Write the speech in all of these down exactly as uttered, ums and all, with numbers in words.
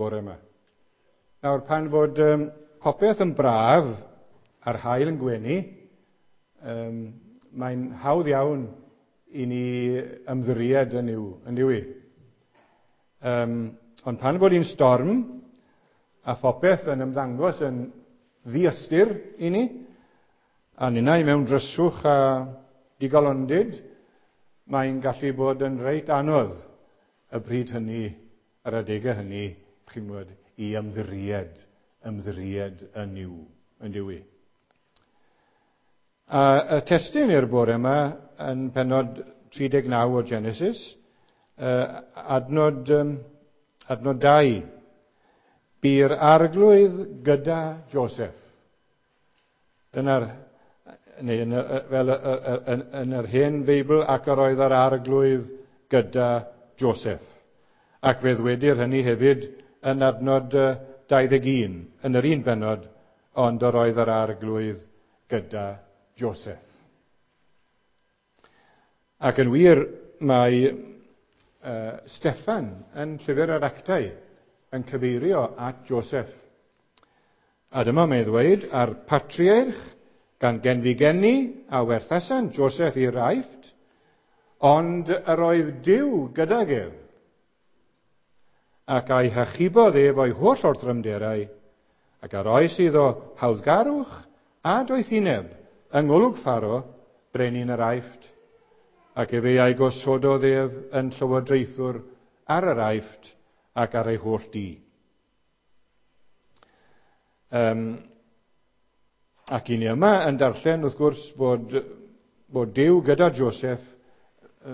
bore yma. Nawr, pan fod um, popeth yn braf a'r haul yn gwenu, um, mae'n hawdd iawn i ni ymddiried yn yw, yn yw i. Um, ond pan fod hi'n storm a phopeth yn ymddangos yn ddiystyr i ni, a ninnau mewn dryswch a digalondid, mae'n gallu bod yn reit anodd y bryd hynny, yr adegau hynny, chi'n gwybod, i ymddiried, ymddiried yn yw, yn yw i. A y testun i'r bore yma yn pennod tri deg naw o Genesis, adnod, adnod dau. Bu'r arglwydd gyda Joseph. Dyna'r, neu yn, fel yn, yn yr hen Feibl, ac yr oedd yr arglwydd gyda Joseph. Ac fe ddwedir hynny hefyd yn adnod dau ddeg un, yn yr un bennod, ond yr oedd yr arglwydd gyda Joseph. Ac yn wir, mae uh, Steffan yn llyfr yr Actau yn cyfeirio at Joseph. A dyma mae'n ddweud, a'r patriarch gan genfigeni a werthasan Joseph i'r Aifft, ond yr oedd Duw gydag ef, ac a'i hachubodd ef o'i holl orthrymderau, ac a roes iddo hawddgarwch a doethineb yng ngolwg Pharo, brenin yr Aifft, ac efe a'i gosododd ef yn llywodraethwr ar yr Aifft ac ar ei holl dŷ. Um, ac i ni yma yn darllen, wrth gwrs, bod, bod Duw gyda Joseph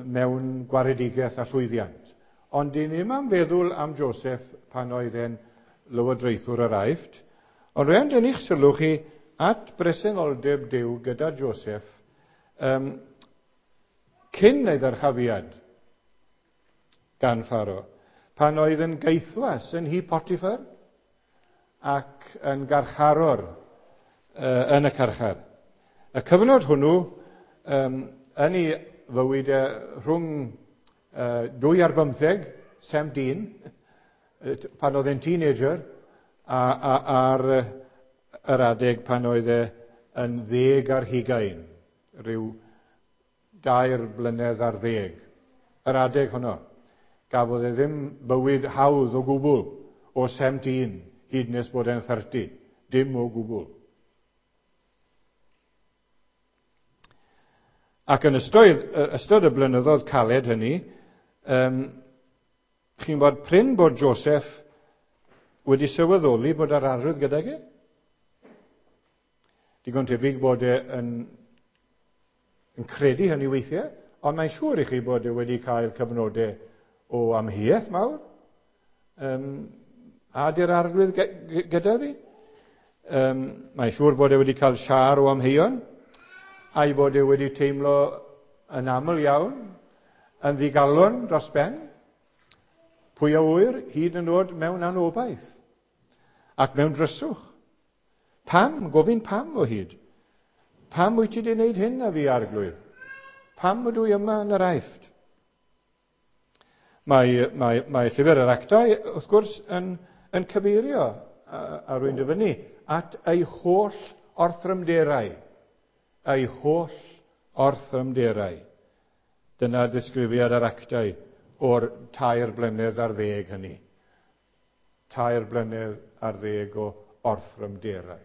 mewn gwaredigaeth a llwyddiant. Ond i ni yma'n feddwl am Joseph pan oedd e'n lywodraethwr yr Aifft, ond rhaid yn eich sylw chi at bresenoldeb Duw gyda Joseph um, cyn ei ddyrchafiad gan Pharo, pan oedd yn gaethwas yn nhŷ Potiphar ac yn garcharor uh, yn y carchar. Y cyfnod hwnnw um, yn ei fywyd uh, rhwng uh, dwy ar bymtheg, seventeen, pan oedd e'n teenager, a, a, ar yr adeg pan oedd e yn ddeg ar hugain, rhyw dair blynedd ar ddeg. Yr adeg honno, gafodd e ddim bywyd hawdd o gwbl o seventeen hyd nes bod e'n thirty, dim o gwbl. Ac yn ystod, ystod y blynyddoedd caled hynny, um, chi'n bod prin bod Joseph wedi sylweddoli bod yr arwydd gydag e. Digon tebyg bod e yn, yn credu hynny weithiau, ond mae'n siŵr i chi bod e wedi cael cyfnodau o amheuaeth mawr. Um, a di'r arglwydd gyda fi? Um, mae'n siŵr bod e wedi cael siar o amheuon, a'i bod e wedi teimlo yn aml iawn, yn ddigalon dros ben, pwy a ŵyr hyd yn oed mewn anobaith, ac mewn dryswch. Pam? Gofyn pam o hyd. Pam wyt ti wedi gwneud hyn a fi, arglwydd? Pam ydw i yma yn yr Aifft? Mae, mae, mae llyfr yr Actau, wrth gwrs, yn, yn cyfeirio, a, a rwy'n dyfynnu, at ei holl orthrymderau. Ei holl orthrymderau. Dyna disgrifiad yr Actau o'r tair blynedd ar ddeg hynny. Tair blynedd ar ddeg o orthrymderau.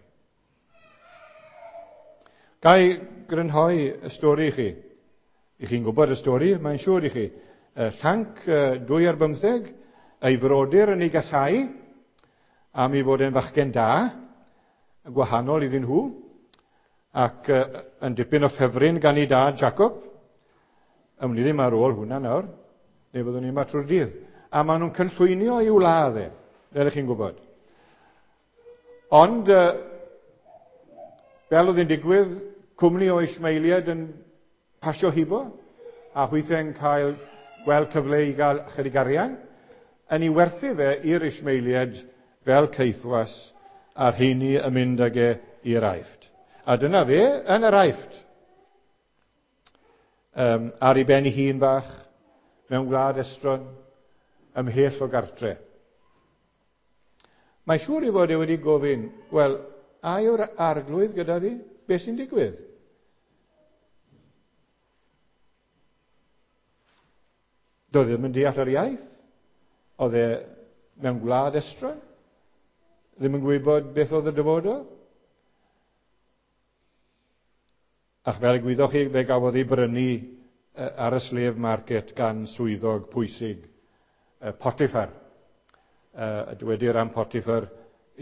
Ga i grynhoi y stori i chi? I chi'n gwybod y stori, mae'n siŵr i chi. Llanc dwy ar bymtheg, ei frodyr yn ei gasau, am ei fod e'n fachgen da, gwahanol iddyn nhw, ac yn dipyn o ffefryn gan ei dad Jacob. Ym ni ddim ar ôl hwnna nawr, neu fyddwn ni yma trwy'r dydd. A maen nhw'n cynllwynio i'w ladd e, fel ych chi'n gwybod. Ond, fel oedd yn digwydd, cwmni o Ismaeliaid yn pasio hibo, a hwythau'n cael gweld cyfle i gael chydig arian, yn ei werthu fe i'r Ismaeliaid fel caethwas, a'r rheini yn mynd ag e i'r Aifft. A dyna fe yn yr Aifft. Um, ar ei ben ei hun bach, mewn gwlad estron, ymhell o gartre. Mae siŵr i fod e wedi gofyn, wel, a yw'r arglwydd gyda fi? Beth sy'n digwydd? Doedd ddim yn deall yr iaith. Oedd e mewn gwlad estron. Ddim yn gwybod beth oedd y dyfodol. Ac fel y gwyddoch chi, fe gafodd ei brynu ar y slave market gan swyddog pwysig, Potiphar. A dywedir am Potiphar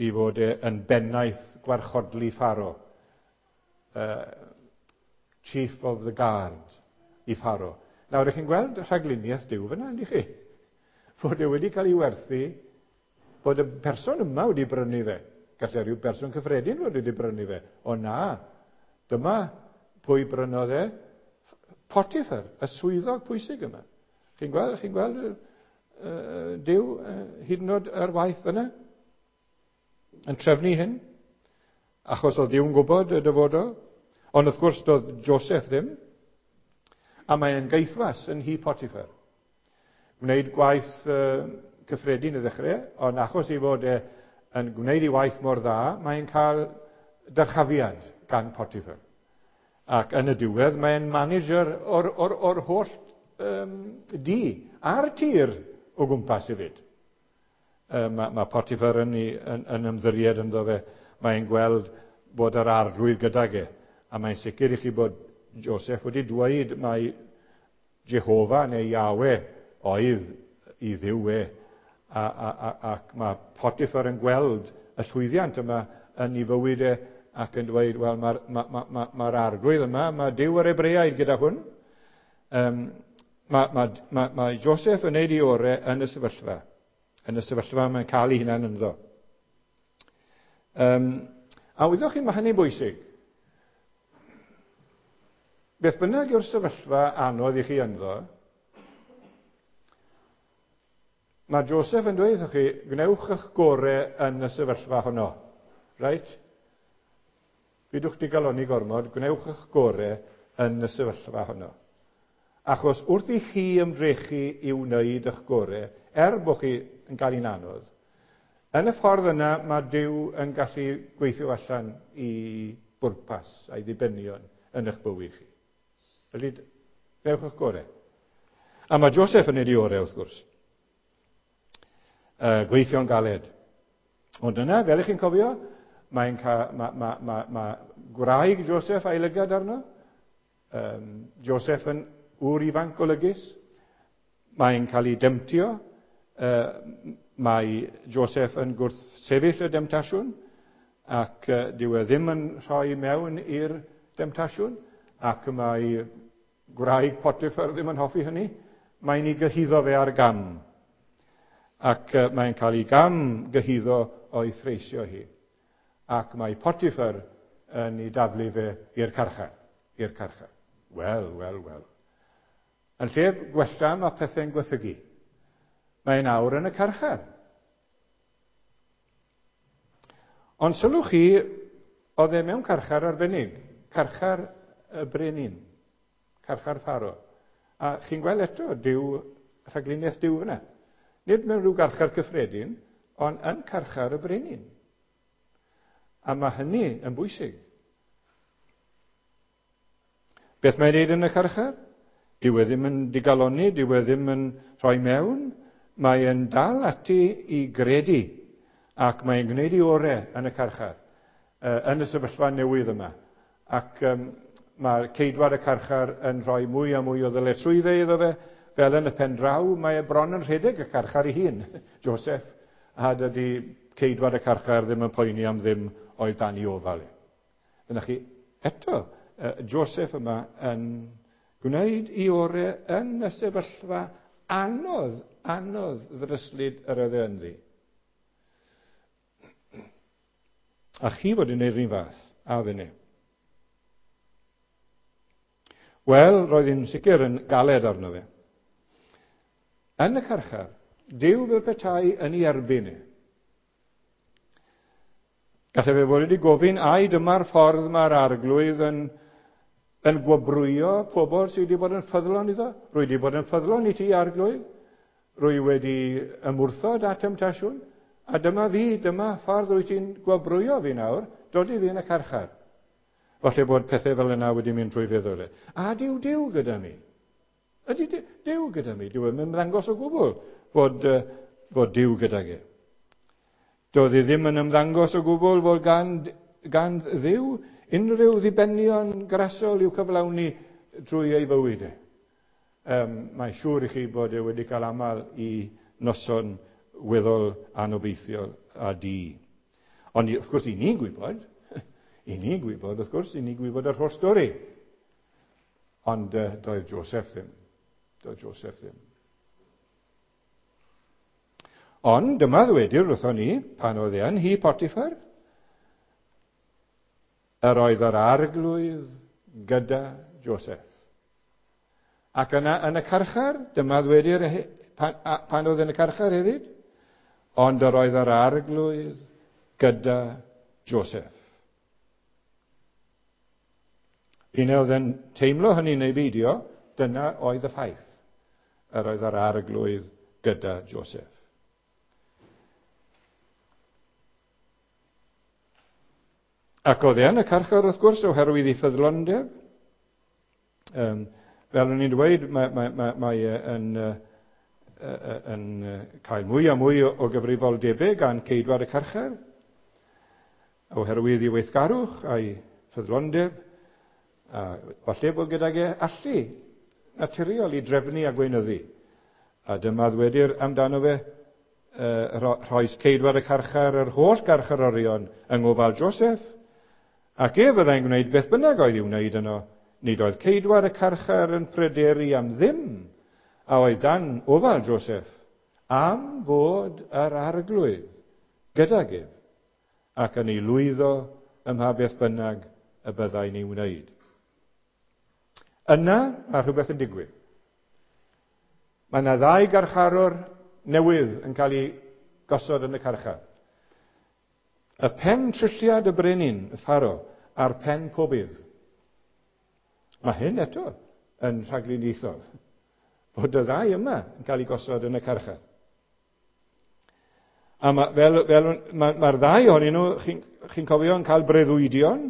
i fod e yn bennaeth gwarchodlu Pharaoh. Chief of the Guard i Pharaoh. Nawr, ych chi'n gweld rhagluniaeth Duw fyna, yndych chi? Fod e wedi cael ei werthu, bod y person yma wedi brynu fe. Gallai rhyw berson cyffredin fod wedi brynu fe. O na, dyma pwy brynodd e? Potiphar, y swyddog pwysig yma. Chi'n gweld, chi'n gweld uh, Duw uh, hyd yn oed ar waith fyna? Yn trefnu hyn? Achos oedd Duw'n gwybod y dyfodol. Ond wrth gwrs doedd Joseph ddim. A mae'n gaethwas yn nhŷ Potiphar. Gwneud gwaith uh, cyffredin i ddechrau, ond achos ei fod e yn gwneud ei waith mor dda, mae'n cael dyrchafiad gan Potiphar. Ac yn y diwedd, mae'n manager o'r, or, or holl um, dŷ a'r tir o gwmpas hefyd. Uh, mae, mae Potiphar yn, yn, yn ymddiried ynddo fe. Mae'n gweld bod yr arglwydd gydag e. A mae'n sicr i chi bod Joseph wedi dweud mai Jehofa neu Yahweh oedd i Dduw e. A, a, a, ac mae Potiphar yn gweld y llwyddiant yma yn ei fywyd e ac yn dweud, wel, mae'r ma, ma, ma, ma arglwydd yma, mae Duw yr Hebreaid gyda hwn. Um, mae, mae, mae, mae Joseph yn neud ei orau yn y sefyllfa. Yn y sefyllfa mae'n cael ei hunan ynddo. Um, a wyddoch chi, mae hynny'n bwysig. Beth bynnag yw'r sefyllfa anodd i chi ynddo, mae Joseph yn dweud wrthych chi, gwnewch eich gorau yn y sefyllfa honno. Right? Pidwch digalonni gormod, gwnewch eich gorau yn y sefyllfa honno. Achos wrth i chi ymdrechu i wneud eich gorau, er bod chi yn cael un anodd, yn y ffordd yna mae Duw yn gallu gweithio allan i bwrpas a'i ddibenion yn eich bywyd chi. Felly, gwnewch eich gorau. A mae Joseph yn neud ei orau, wrth gwrs. Uh, gweithio'n galed. Ond yna, fel ych chi'n cofio, mae'n ca, ma, ma, ma, ma gwraig Joseph a'i lygad arno. Um, Joseph yn ŵr ifanc golygus. Mae'n cael ei demtio. Uh, mae Joseph yn gwrthsefyll y demtasiwn ac uh, dyw e ddim yn rhoi mewn i'r demtasiwn ac mae gwraig Potiphar ddim yn hoffi hynny. Mae'n ei gyhuddo fe ar gam. Ac uh, mae'n cael ei gam gyhuddo o'i threisio hi. Ac mae Potiphar yn ei daflu fe i'r carchar. I'r carchar. Wel, wel, wel. Yn lle gwella mae pethau'n gwaethygu. Mae'n awr yn y carchar. Ond sylwch chi, oedd e mewn carchar arbennig. Carchar y brenin. Carchar Pharaoh. A chi'n gweld eto, Duw, rhagluniaeth Duw fyna. Nid mewn rhyw garchar cyffredin, ond yn carchar y brenin. A mae hynny yn bwysig. Beth mae'n neud yn y carchar? Dyw e ddim yn digalonni, dyw e ddim yn rhoi mewn. Mae'n dal ati i gredu ac mae'n gwneud ei orau yn y carchar, yn y sefyllfa newydd yma. Ac um, mae ceidwad y carchar yn rhoi mwy a mwy o ddyletswyddau iddo fe, fel yn y pen draw, mae e bron yn rhedeg y carchar ei hun, Joseph, a dydy ceidwad y carchar ddim yn poeni am ddim oedd dan ei ofal. Dyna chi, eto, Joseph yma yn gwneud ei orau yn y sefyllfa anodd, anodd ddryslyd yr oedd e ynddi. A chi fod yn gwneud yr un fath, a finne. Wel, roedd hi'n sicr yn galed arno fe. Yn y carchar, Duw fel petai yn ei erbyn e. Gallai fe fod wedi gofyn, ai dyma'r ffordd mae'r arglwydd yn, yn gwobrwyo pobl sydd wedi bod yn ffyddlon iddo? Rwy wedi bod yn ffyddlon i ti, arglwydd. Rwy wedi ymwrthod â temtasiwn, A dyma fi, dyma ffordd wyt ti'n gwobrwyo fi nawr, dod i fi yn y carchar. Falle bod pethau fel yna wedi mynd trwy feddwl e. A dyw Duw gyda mi. Ydy Duw gyda mi? Dyw e'n ymddangos o gwbl fod, uh, fod Duw gydag e. Doedd e ddim yn ymddangos o gwbl fod gan, gan Dduw unrhyw ddibenion grasol i'w cyflawni drwy ei fywyd e. Um, mae'n siŵr i chi bod e wedi cael aml i noson weddol anobeithiol a di. Ond wrth gwrs, i ni'n gwybod, i ni'n gwybod, wrth gwrs, i ni'n gwybod yr holl stori. Ond uh, doedd Joseph ddim. Doedd Joseph ddim. Ond dyma ddwedir wrthon ni, pan oedd e yn nhŷ Potiphar, yr oedd yr arglwydd gyda Joseph. Ac yna yn y carchar, dyma ddwedir pan, pan oedd yn y carchar hefyd, ond yr oedd yr arglwydd gyda Joseph. P'un oedd yn teimlo hynny neu beidio, dyna oedd y ffaith. Yr oedd yr arglwydd gyda Joseph. Ac oedd e yn y carchar, wrth gwrs, oherwydd ei ffyddlondeb. Um, fel o'n i'n dweud, mae, mae, mae, mae e yn, uh, yn cael mwy a mwy o, o gyfrifoldebau gan ceidwad y carchar, oherwydd ei weithgarwch a'i ffyddlondeb, a falle bod gydag e allu naturiol i drefnu a gweinyddu. A dyma ddwedir amdano fe, uh, rhoes ceidwad y carchar yr holl garcharorion yng ngofal Joseph, ac e fyddai'n gwneud beth bynnag oedd i'w wneud yno. Nid oedd ceidwad y carchar yn pryderu am ddim a oedd dan ofal Joseph, am fod yr arglwydd gydag ef, ac yn ei lwyddo ym mha beth bynnag y byddai'n ei wneud. Yna mae rhywbeth yn digwydd. Mae yna ddau garcharor newydd yn cael ei gosod yn y carchar. Y pen trulliad y brenin, y Pharo, a'r pen pobydd. Mae hyn eto yn rhagluniaethol, bod y ddau yma yn cael ei gosod yn y carchar. A ma, fel, fel, mae'r ma ddau ohonyn nhw, chi'n chi cofio, yn cael breuddwydion,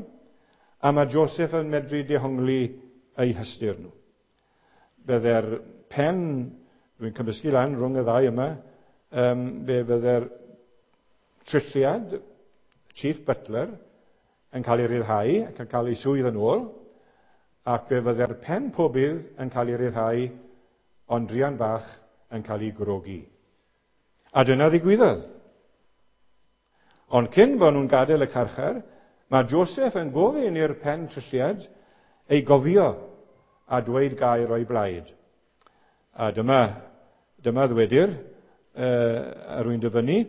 a mae Joseph yn medru dehongli eu hystyr nhw. Bydde'r pen, dwi'n cymysgu lan rhwng y ddau yma, um, fe fydde'r trulliad, Chief Butler, yn cael ei ryddhau ac yn cael ei swydd yn ôl, ac fe fydde'r pen pobydd yn cael ei ryddhau, ond druan bach yn cael ei grogi. A dyna ddigwyddodd. Ond cyn bod nhw'n gadael y carchar, mae Joseph yn gofyn i'r pen trulliad ei gofio a dweud gair o'i blaid. A dyma, dyma ddwedir, uh, a rwy'n dyfynnu,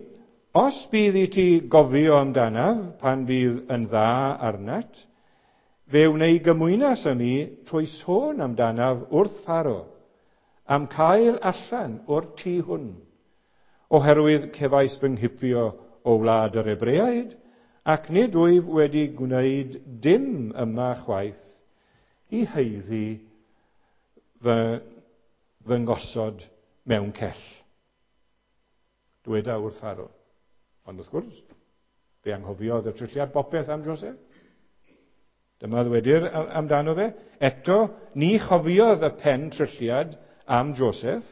os bydd i ti gofio amdanaf pan bydd yn dda arnat, fe wnei gymwynas â mi trwy sôn amdanaf wrth Pharo, am cael allan o'r tŷ hwn, oherwydd cefais fy nghipio o wlad yr Hebreaid, ac nid wyf wedi gwneud dim yma chwaith i haeddu fy, fy ngosod mewn cell. Dweda wrth Pharo. Ond wrth gwrs, fe anghofiodd y trulliad bopeth am Joseph. Dyma ddwedir amdano fe. Eto, ni chofiodd y pen trulliad am Joseph,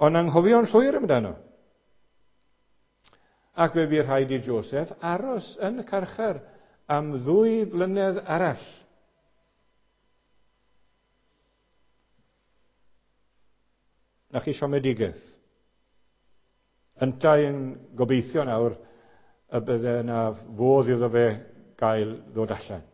ond anghofio'n llwyr amdano. Ac fe bu rhaid i Joseph aros yn y carchar am ddwy flynedd arall. Na chi siomedigaeth. Yntau yn gobeithio nawr y bydde yna fodd iddo fe gael ddod allan.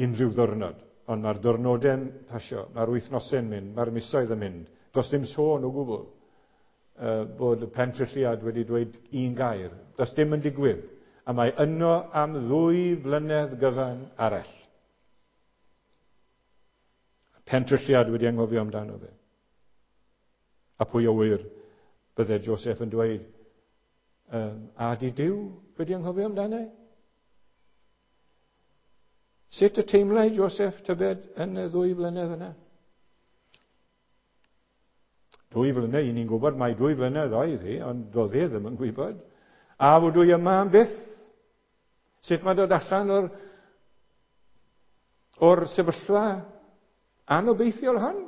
Unrhyw ddwrnod. Ond mae'r diwrnodau'n pasio, mae'r wythnosau'n mynd, mae'r misoedd yn mynd. Does dim sôn o gwbl uh, bod y pentrulliad wedi dweud un gair. Does dim yn digwydd. A mae yno am ddwy flynedd gyfan arall. Pentrulliad wedi anghofio amdano fe. A pwy o wir bydde Joseph yn dweud, um, a di Duw wedi anghofio amdano? Sut y teimlai Joseph tybed yn y ddwy flynedd yna? Dwy flynedd, ni'n gwybod mai dwy flynedd oedd hi, ond doedd e ddim yn gwybod. A fod i yma am byth? Sut mae dod allan o'r, o'r sefyllfa anobeithiol hon?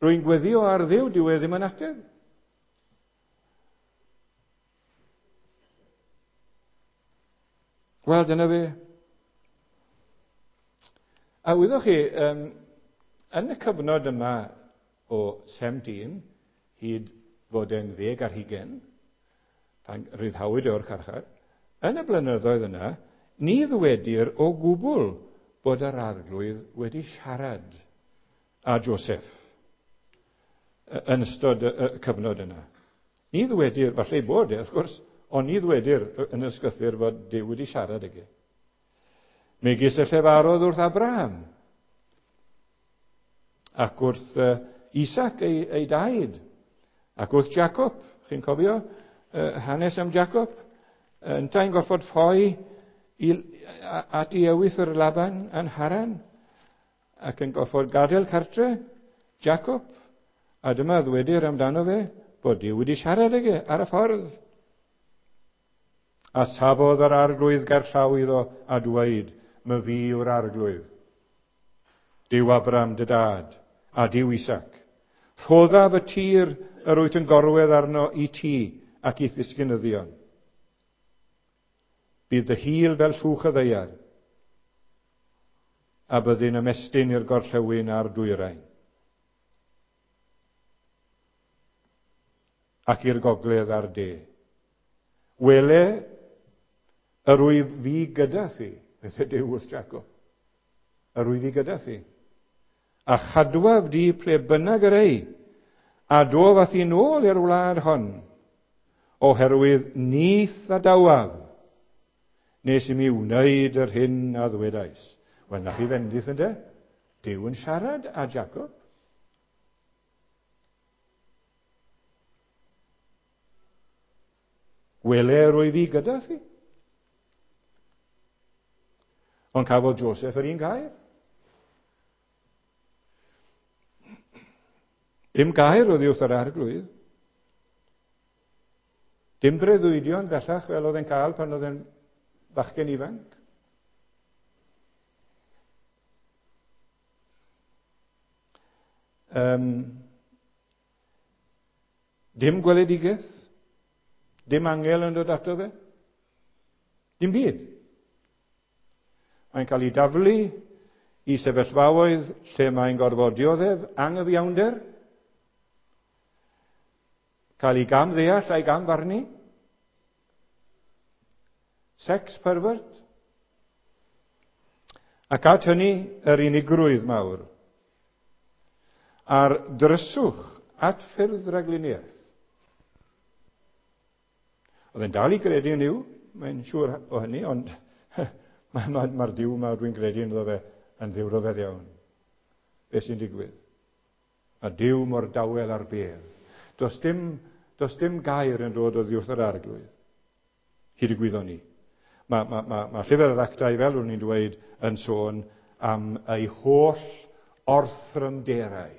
Rwy'n gweddio ar Dduw, dyw e ddim yn ateb. Wel, dyna fe. A wyddoch chi, um, yn y cyfnod yma o seventeen hyd fod e'n ddeg ar hugain, pan ryddhawyd o'r carchar, yn y blynyddoedd yna, ni ddwedir o gwbl bod yr Arglwydd wedi siarad â Joseph yn ystod y cyfnod yna. Ni ddwedir, falle ei bod e, wrth gwrs, ond ni ddwedir yn y ysgrythur fod Duw wedi siarad ag e. Megis y llefarodd wrth Abraham ac wrth Isaac ei, ei daid, ac wrth Jacob, chi'n cofio uh, hanes am Jacob, yntau'n gorfod ffoi i, at ei ewythr Laban yn Haran, ac yn gorfod gadael cartre Jacob, a dyma ddwedir amdano fe bod Duw wedi siarad ag e ar y ffordd. A safodd yr Arglwydd gerllaw iddo a dweud, my fi yw'r Arglwydd, Duw Abraham dy dad, a Duw Isaac. Rhoddaf y tir yr wyt yn gorwedd arno i ti ac i'th ddisgynyddion. Bydd dy hil fel llwch y ddaear, a byddi'n ymestyn i'r gorllewin a'r dwyrain, ac i'r gogledd a'r de. Wele, yr wyf fi gyda thi, beth ydyw wrth Jacob, yr wyf fi gyda thi, a chadwaf di ple bynnag yr ei, a dof â thi nôl i'r wlad hon, oherwydd nith a dawaf, nes i mi wneud yr hyn a ddwedais. Wel, na chi fendith ynde? Duw yn siarad â Jacob. Wele rwy fi gyda thi. Ond cafodd Joseph yr un gair. Dim gair oddi wrth yr Arglwydd. Dim breuddwydion bellach fel oedd e'n cael pan oedd e'n fachgen ifanc. Um, dim gweledigaeth. Dim angel yn dod ato fe. Dim byd. Mae'n cael ei daflu i sefyllfaoedd lle mae'n gorfod dioddef anghyfiawnder, cael ei gam ddeall a'i gam farnu, sex pervert, ac at hynny yr unigrwydd mawr, a'r dryswch at ffyrdd rhagluniaeth. Oedd e'n dal i gredu yn Nuw, mae'n siŵr o hynny, ond mae'r ma, ma Duw yma dwi'n credu ynddo fe yn ddiw ryfedd iawn. Be sy'n digwydd? Mae Duw mor dawel ar bedd. Does dim, does dim gair yn dod oddi wrth yr Arglwydd. Hyd y gwyddon ni. Mae ma, ma, ma llyfr yr Actau, fel o'n i'n dweud, yn sôn am ei holl orthrymderau.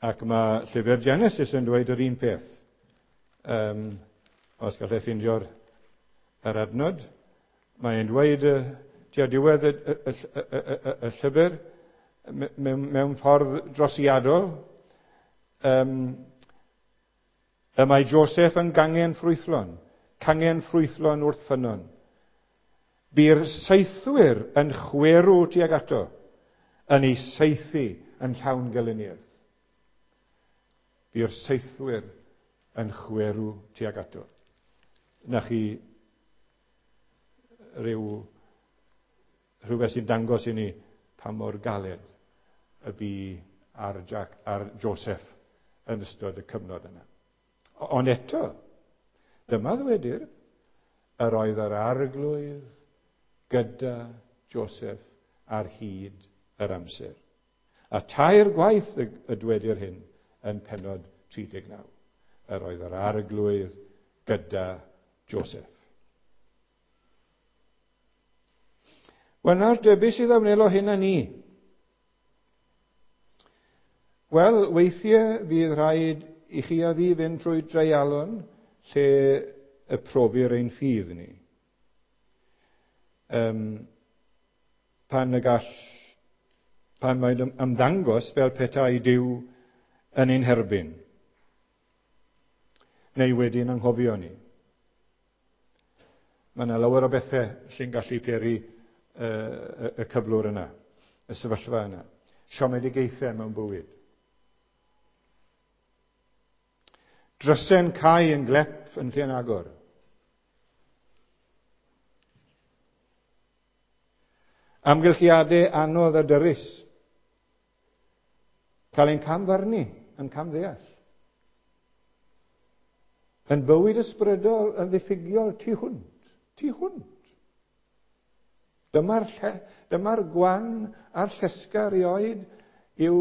Ac mae llyfr Genesis yn dweud yr un peth. Um, os gallai ffeindio'r yr adnod, mae'n dweud tua diwedd y, y, y, y, y, y llyfr mewn, mewn ffordd drosiadol, um, y mae Joseph yn gangen ffrwythlon, cangen ffrwythlon wrth ffynnon. Bu'r saethwyr yn chwerw tuag ato, yn ei saethu yn llawn gelyniaeth. Bu'r saethwyr yn chwerw tuag ato. Na chi rhyw, rhywbeth sy'n dangos i ni pa mor galed y bu ar, Jack, ar Joseph yn ystod y cyfnod yna. Ond eto, dyma ddwedir, yr oedd yr Arglwydd gyda Joseph ar hyd yr amser. A tair gwaith y, y dwedir hyn yn pennod tri deg naw. Yr oedd yr Arglwydd gyda Joseph. Wel, nawr de, beth sydd a wnelo hyn â ni? Wel, weithiau fydd rhaid i chi a fi fynd trwy dreialon lle y profir ein ffydd ni. Um, pan y gall, pan mae'n ymddangos fel petai Duw yn ein herbyn, neu wedi'n anghofio ni. Mae yna lawer o bethau sy'n gallu peri uh, y cyflwr yna, y sefyllfa yna. Siomedigaethau mewn bywyd. Drysen cau yn glep yn lle'n agor. Amgylchiadau anodd a dyrys. Cael ein camfarnu, yn camddeall. Yn bywyd ysbrydol, yn ddiffygiol tu hwnt. Tu hwnt. Dyma'r lle, dyma'r gwan a'r llesga erioed yw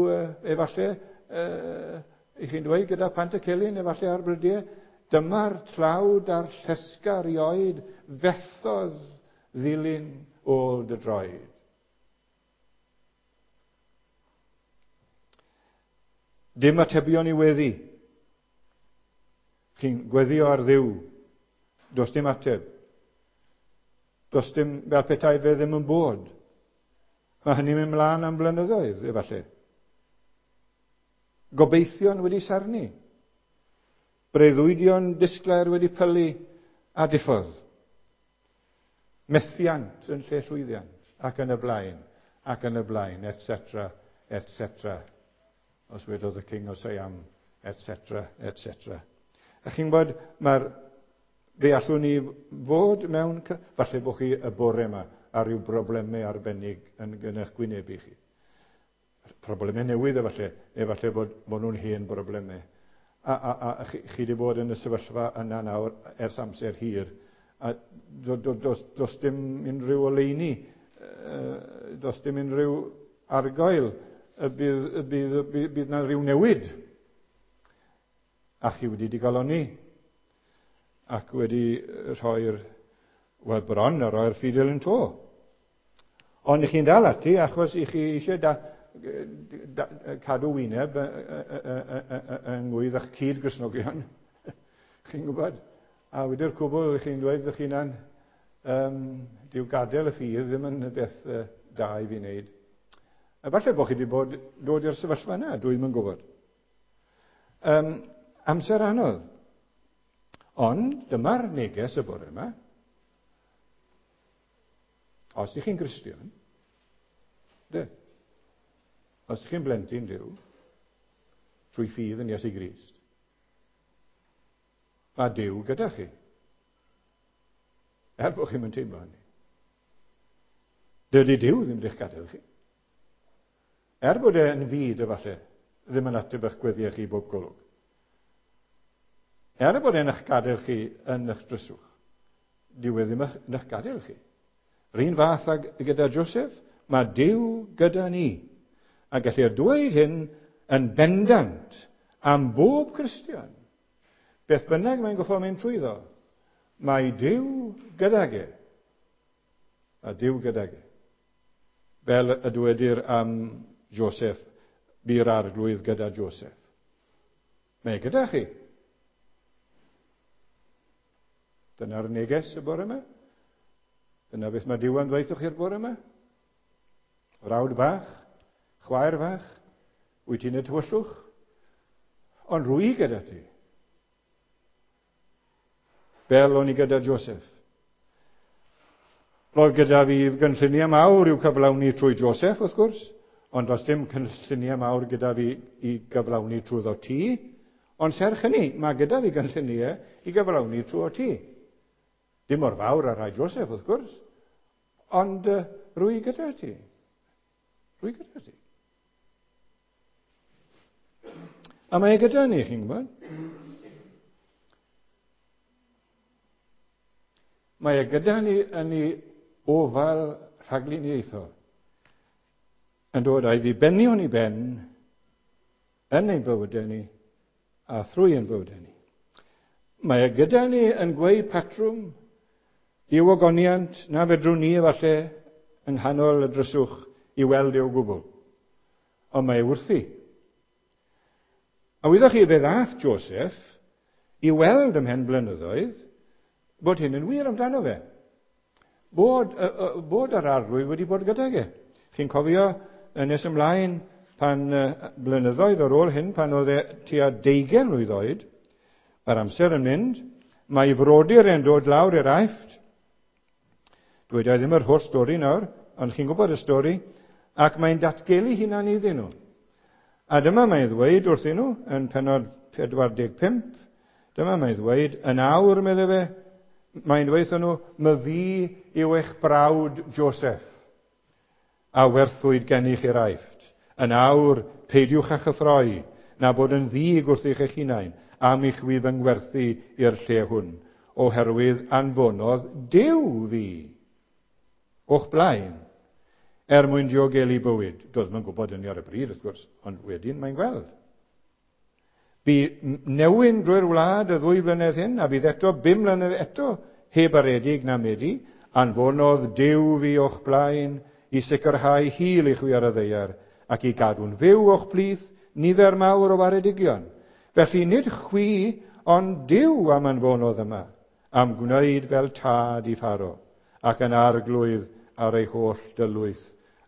efallai, uh, i chi'n dweud gyda Pantycelyn efallai ar brydiau, dyma'r tlawd a'r llesga erioed fethodd ddilyn ôl dy droed. Dim atebion i weddi. Chi'n gweddio ar Dduw. Does dim ateb. Does dim, fel petai fe ddim yn bod. Mae hynny'n mynd mlaen am blynyddoedd, efallai. Gobeithion wedi sarnu. Breuddwydion disglair wedi pylu a diffodd. Methiant yn lle llwyddiant, ac yn y blaen, ac yn y blaen, et cetera, et cetera. Os wedodd y King o Siam, et cetera, et cetera. A chi'n gwybod, mae'r, fe allwn ni fod mewn, falle bod chi y bore yma ar ryw broblemau arbennig yn yn eich gwynebu chi. Problemau newydd efallai, efallai bod, bod nhw'n hen broblemau. A, a, a, a chi, chi wedi bod yn y sefyllfa yna nawr ers amser hir. A do, do, dos, dos dim unrhyw oleuni, dos dim unrhyw argoel y bydd, y bydd, y bydd, bydd na rhyw newid. A chi wedi digalonni ac wedi rhoi'r, wel bron a rhoi'r ffidil yn to. Ond i chi'n dal ati achos i chi eisiau da, da, cadw wyneb yng ngwydd eich cyd-Gristnogion. Chi'n gwybod? A wedi'r cwbl chi'n dweud ych hunan, um, dyw gadael y ffydd ddim yn beth uh, da i fi wneud. A falle bod chi wedi bod dod i'r sefyllfa yna, dwi ddim yn gwybod. Um, amser anodd. Ond dyma'r neges y bore yma. Os ych chi'n Gristion, de, os ych chi'n blentyn Duw, trwy ffydd yn Iesu Grist, mae Duw gyda chi. Er bod chi'n teimlo hynny. Dydy Duw ddim wedi'ch gadael chi. Er bod e'n fyd efallai, ddim yn ateb eich gweddiau chi bob golwg. Er bod e'n eich gadael chi yn eich dryswch, dyw e ddim yn eich gadael chi. Yr un fath ag gyda Joseph, mae Duw gyda ni. A gellir dweud hyn yn bendant am bob Cristion. Beth bynnag mae'n goffo mynd trwyddo, mae Duw gydag e. A Duw gydag e. Fel y dywedir am Joseph, bu'r arglwydd gyda Joseph. Mae gyda chi. Dyna'r neges y bore yma. Dyna beth mae Duw yn dweud wrth chi'r bore yma. Frawd bach, chwaer fach, wyt ti'n y tywyllwch, ond rwy gyda ti. Fel o'n i gyda Joseph. Roedd gyda fi gynlluniau mawr i'w cyflawni trwy Joseph, wrth gwrs, ond does dim cynlluniau mawr gyda fi i gyflawni trwyddo ti. Ond serch hynny, mae gyda fi gynlluniau i gyflawni trwy ti. Dim mor fawr ar rhai Joseph, wrth gwrs, ond uh, rwy gyda ti. Rwy gyda ti. A mae e gyda ni, chi'n gwybod? Mae e gyda ni yn ei ofal rhagluniaethol, yn dod â'i ddibenion i ben yn ein bywydau ni a thrwy ein bywydau ni. Mae e gyda ni yn gweud patrwm i'w ogoniant na fedrwn ni efallai yng nghanol y dryswch i weld ei o gwbl. Ond mae wrthi. A wyddoch chi, fe ddath Joseph i weld ymhen blynyddoedd bod hyn yn wir amdano fe. Bod, uh, bod yr Arglwydd wedi bod gydag e. Chi'n cofio nes ymlaen pan uh, blynyddoedd ar ôl hyn, pan oedd e tua deugain mlwydd oed, mae'r amser yn mynd, mae ei frodyr e'n dod lawr i'r Aifft. Dweda i ddim yr holl stori nawr, ond chi'n gwybod y stori, ac mae'n datgelu hunan iddyn nhw. A dyma mae'n ddweud wrthyn nhw yn pennod pedwar deg pump, dyma mae'n ddweud, yn awr, medde fe, mae'n dweud wrthyn nhw, my fi yw eich brawd Joseph, a werthwyd gennych i'r Aifft. Yn awr, peidiwch â chyffroi, na bod yn ddig wrth eich hunain, am i chwi fy ngwerthu i'r lle hwn, oherwydd anfonodd Duw fi o'ch blaen, er mwyn diogelu bywyd. Doedd ddim yn gwybod hynny ar y bryd, wrth gwrs, ond wedyn mae'n gweld. Bu newyn drwy'r wlad y ddwy flynedd hyn, a bydd eto bum mlynedd eto heb aredig na medi, anfonodd Duw fi o'ch blaen i sicrhau hil i chwi ar y ddaear, ac i gadw'n fyw o'ch plith nifer mawr o waredigion. Felly nid chwi, ond Duw am anfonodd yma, am gwneud fel tad i Pharo, ac yn arglwydd ar ei holl dylwyth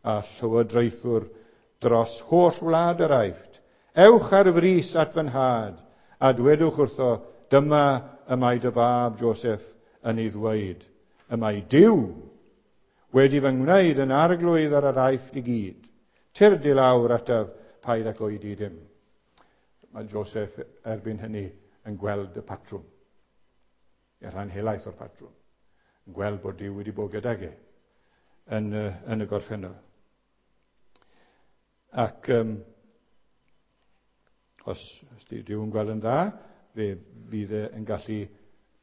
a llywodraethwr dros holl wlad yr Aifft. Ewch ar frys at fy nhad, a dwedwch wrtho, dyma y mae dy fab Joseph yn ei ddweud. Y mae Duw wedi fy ngwneud yn arglwydd ar yr Aifft i gyd. Tyrd i lawr ataf, paid ac oedi dim. Mae Joseph erbyn hynny yn gweld y patrwm. Y rhan helaeth o'r patrwm. Yn gweld bod Duw wedi bod gydag e yn, yn y gorffennol. Ac um, os, os Duw yn gweld yn dda, fe fydd e yn gallu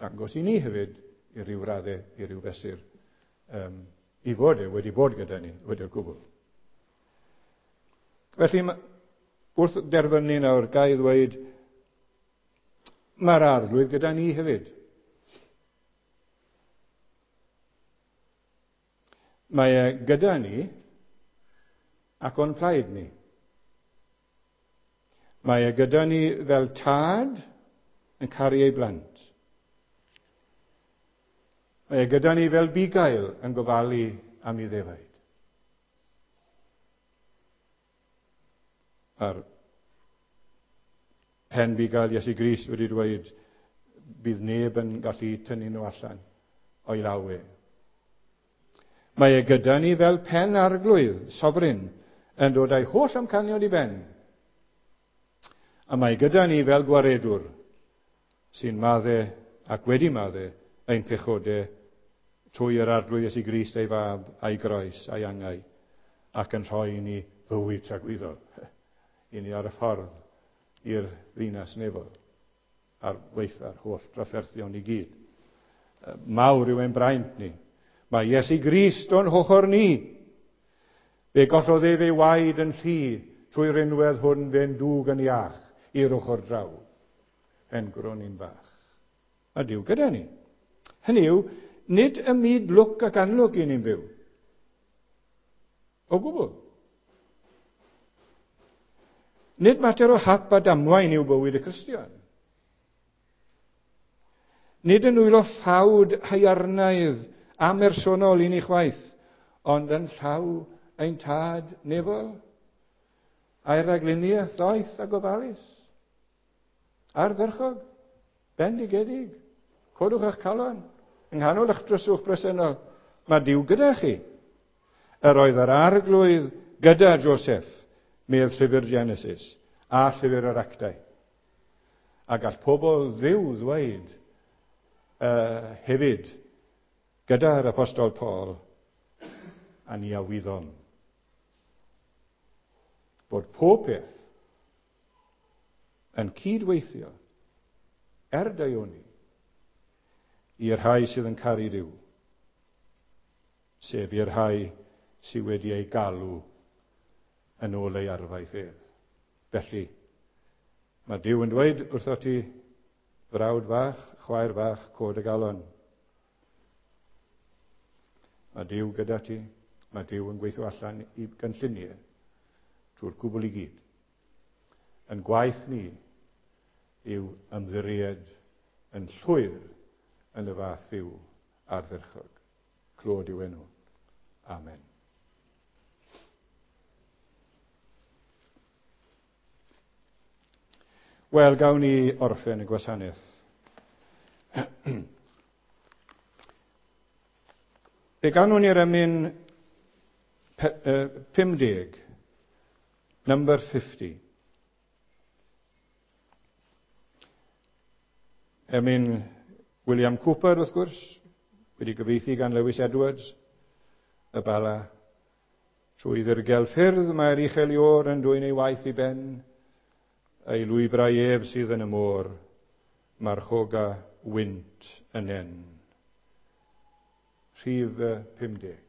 dangos i ni hefyd i ryw raddau, i ryw fesur, um, i fod e wedi bod gyda ni, wedi'r gwbl. Felly, wrth derfynu nawr, ga i ddweud, mae'r Arglwydd gyda ni hefyd. Mae e gyda ni ac o'n plaid ni. Mae e gyda ni fel tad yn caru ei blant. Mae e gyda ni fel bugail yn gofalu am ei ddefaid. A'r pen bugail Iesu Grist wedi dweud bydd neb yn gallu tynnu nhw allan o'i law e. Mae e gyda ni fel pen arglwydd, sovereign, yn dod â'i holl amcanion i ben. A mae gyda ni fel gwaredwr sy'n madde ac wedi madde ein pechodau trwy yr Arglwydd Iesu Grist ei fab a'i groes a'i angau ac yn rhoi i ni fywyd tragwyddol i ni ar y ffordd i'r ddinas nefol ar weitha'r holl drafferthion i gyd. Mawr yw ein braint ni. Mae Iesu Grist o'n hochr ni. Fe gollodd ef ei waed yn llu trwy rinwedd hwn fe'n dŵg yn iach i'r ochr draw. Hen gronyn bach. A Duw gyda ni. Hynny yw, nid y myd lwc ac anlwc i ni'n byw. O gwbl. Nid mater o hap a damwain yw bywyd y Cristion. Nid yn nwylo ffawd haearnaidd amersonol i ni chwaith, ond yn llaw ein tad nefol, a'i ragluniaeth ddoeth a gofalus. Ardderchog, bendigedig, codwch eich calon, yng nghanol eich dryswch bresennol, mae Duw gyda chi. Yr oedd yr Arglwydd gyda Joseph, medd llyfr Genesis, a llyfr yr Actau. A gall pobl Dduw ddweud uh, hefyd, gyda'r Apostol Paul, a ni a wyddom bod pob peth yn cydweithio er daioni i'r rhai sydd yn caru Duw, sef i'r rhai sydd wedi ei galw yn ôl ei arfaeth ef. Felly, mae Duw yn dweud wrtho ti, frawd fach, chwaer fach, cod y galon. Mae Duw gyda ti, Mae Duw yn gweithio allan i gynlluniau trwy'r cwbl i gyd. Yn gwaith ni yw ymddiried yn llwyr yn y fath Dduw ardderchog. Clod yw enw. Amen. Wel, gawn ni orffen y gwasanaeth. Fe ganwn ni'r emyn pum deg, number fifty. Emyn William Cooper, wrth gwrs, wedi gyfieithu gan Lewis Edwards, y Bala. Trwy ddirgel ffyrdd mae'r uchel Iôr yn dwyn ei waith i ben, ei lwybrau ef sydd yn y môr, marchoga wynt yn en. Rhif pum deg.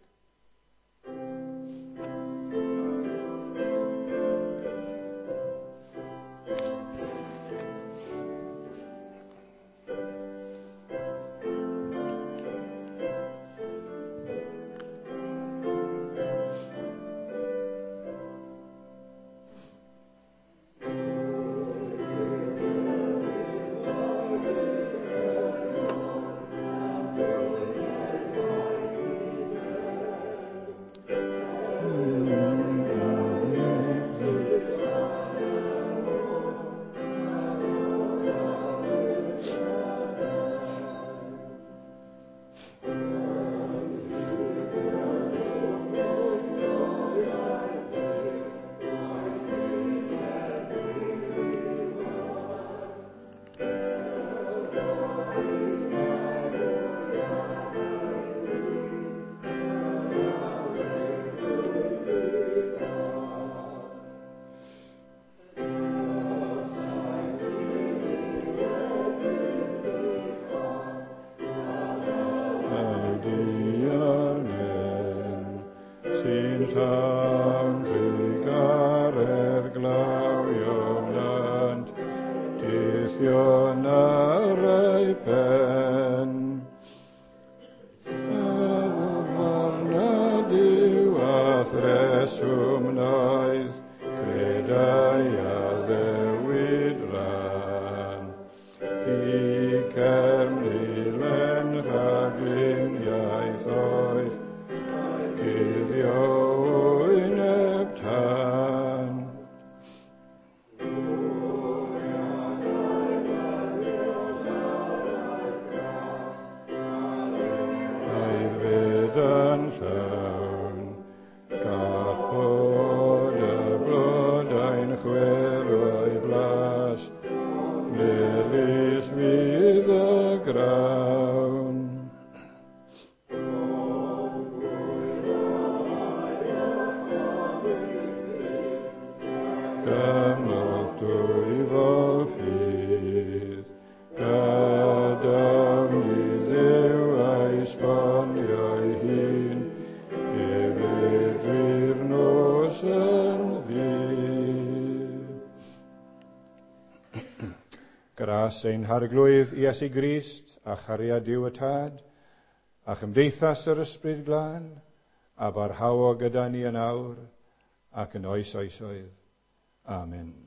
Gras ein Harglwydd Iesu Grist, a chariad Duw y Tad, a chymdeithas yr Ysbryd Glân, a barhaodd gyda ni yn awr ac yn oes oesoedd. Amen.